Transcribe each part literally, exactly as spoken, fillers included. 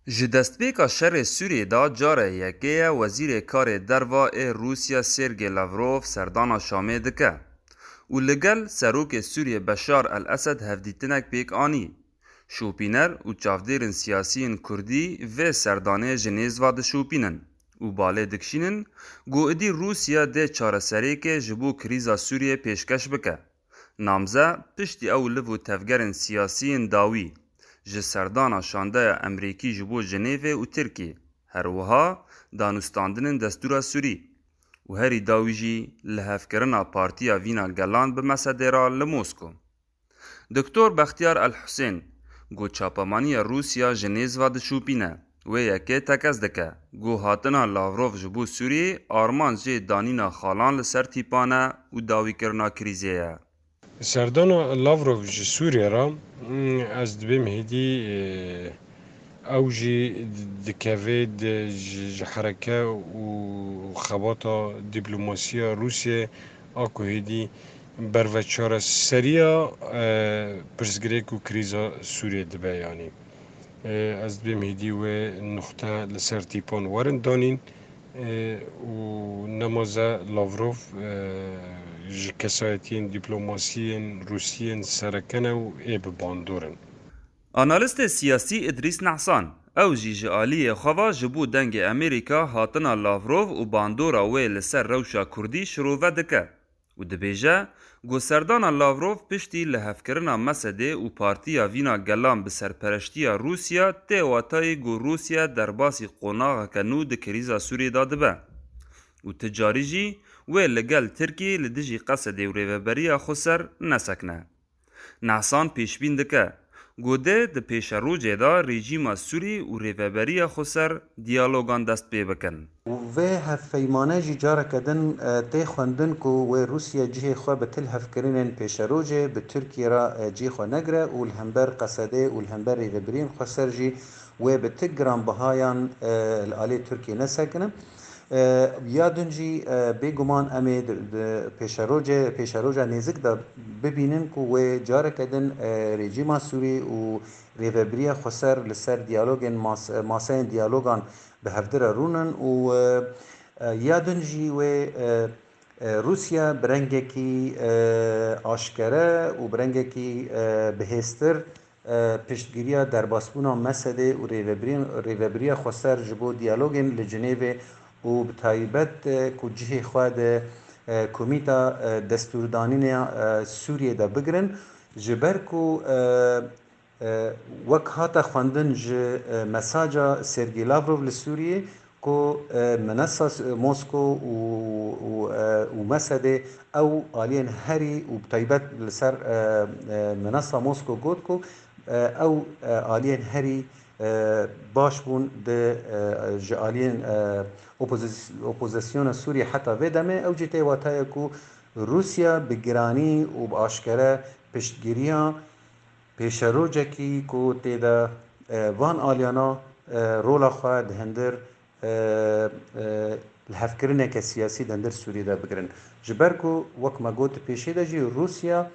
Ji destpêka şerê Sûriyê de cara yekê ye Wezîrê Karê Derva ê Rûsya Sergey Lavrov serdana Şamê dike û li gel Serokê Sûriyê Beşar el-Esed hevdîtinek pêk anî. Şopîner û çavdêrên siyasî yên Kurdî vê serdanê ji nêz ve dişopînin û balê dikişînin ku êdî Rûsya dê çareseriyekê ji bo krîza Sûriyê pêşkeş bike. Namze piştî ew liv û tevgerên siyasî yên dawî, ji serdana şandeya Emerîkî ji bo Jinêvê û Tirkî, her wiha danûstandinên destûra Sûrî û herî dawî jî lihevkirina Partiya Vîna Gelan bi Mesedê re li Mosko. Doktor Bextiyar El Husên, ku çapemaniya Rûsya ji nêz ve dişopîne, wê yekê tekez dike, ku hatina Lavrov ji bo Sûriyê armanc jê danîna xalan li ser tîpan e û dawîkirina krîzê ye. Serdana Lavrov ji Sûriyê re, mm, ez dibêm hêdî, e, ew jî dikeve di, ji, ji hereke û xebata dîplomasiya Rûsiyê a ku hêdî berve çareseriya, e, pirsgirêk û krîza Sûriyê dibe, yanî. E, ez dibêm hêdî wê nuxte li ser tîpan werin danîn, e, û nemaze Lavrov, e, ji kesayetiyên dîplomasiyên Rûsiyên sereke ne û ê bi bandor in. Analîstê siyasî Îdrîs Nehsan, ew jî ji aliyê xwe ve ji bo Dengê Amerîka hatina Lavrov û bandora wê li ser rewşa Kurdî şirove dike û dibêje ku serdana Lavrov piştî lihevkirina Mesedê û Partiya Vîna Gelan bi serpereştiya Rûsya tê watayê ku Rûsya derbasî qonaxeke nû di krîza Sûriyê de dibe û ti carî jî wê li gel Tirkiyê li dijî Qesedê û Rêveberiya Xweser nesekine. Nehsan pêşbîn dike ku dê di pêşerojê de rejîma Sûrî û Rêveberiya Xweser diyalogan dest pê bikin. Vê hevpeymane jî careke din, e, tê xwendin ku wê Rûsya cihê xwe bi ti lihevkirinên pêşerojê bi Tirkiyê re, e, cihê xwe negire û li hember Qesedê û li hember rêvebiriyên xweser jî wê bi ti giranbihayan, e, li alê Tirkiyê nesekine. E, ya din jî, e, bêguman em ê di, di pêşerojê, pêşeroja nêzik de bibînin ku wê careke din, e, rejîma Sûrî û rêvebiriya xweser li ser diyalogên mas-, maseyên diyalogan bi hevdire rûnin û, e, e, ya din jî wê, e, e, Rûsya bi rengekî, e, aşkere û bi rengekî, e, bihêztir, e, piştgiriya derbasbûna Mesedê û rêvebiriyên, rêvebiriya xweser ji bo diyalogên li Cinêvê û bi taybet, e, ku cihê xwe di, e, komîta, e, destûrdanîna, e, Sûriyê de bigirin, ji ber ku, e, e, wek hate xwendin ji, e, mesaja Sergey Lavrov li Sûriyê, ku, e, minesa S-, Mosko û, û, e, û Mesedê ew aliyên herî û bi taybet li ser, e, e, minesa Mosko got ku, e, ew, e, aliyên herî, e, baş bûn di, e, ji aliyên, e, opozis-, opozisyona Sûriyê heta vê demê. Ew jî tê watayê ku Rûsya bi giranî û bi aşkere piştgiriya pêşerojekî ku tê de, e, van aliyana, e, rola xwe di hundir, e, e, lihevkirineke siyasî di hundir Sûriyê de bigirin. Ji ber ku wek me got di pêşê de jî Rûsya,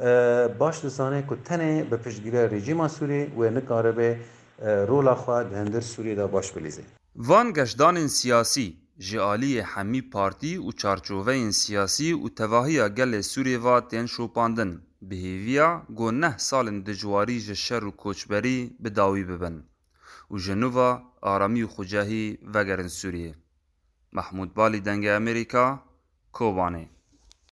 e, baş dizane ku tenê bi piştgiriya rejîma Sûriyê wê nikaribe, e, rola xwe di hundir Sûriyê de baş bilîze. Van geşdanên siyasî ji aliyê hemî partî û çarçoveyên siyasî û tevahiya gelê Sûriyê ve tên şopandin, bi hêviya ku neh salên dijwarî ji şer û koçberî bi dawî bibin û ji nû ve aramî û xwecehî vegerin Sûriyê. Mehmûd Balî, Dengê Amerîka, Kobanê.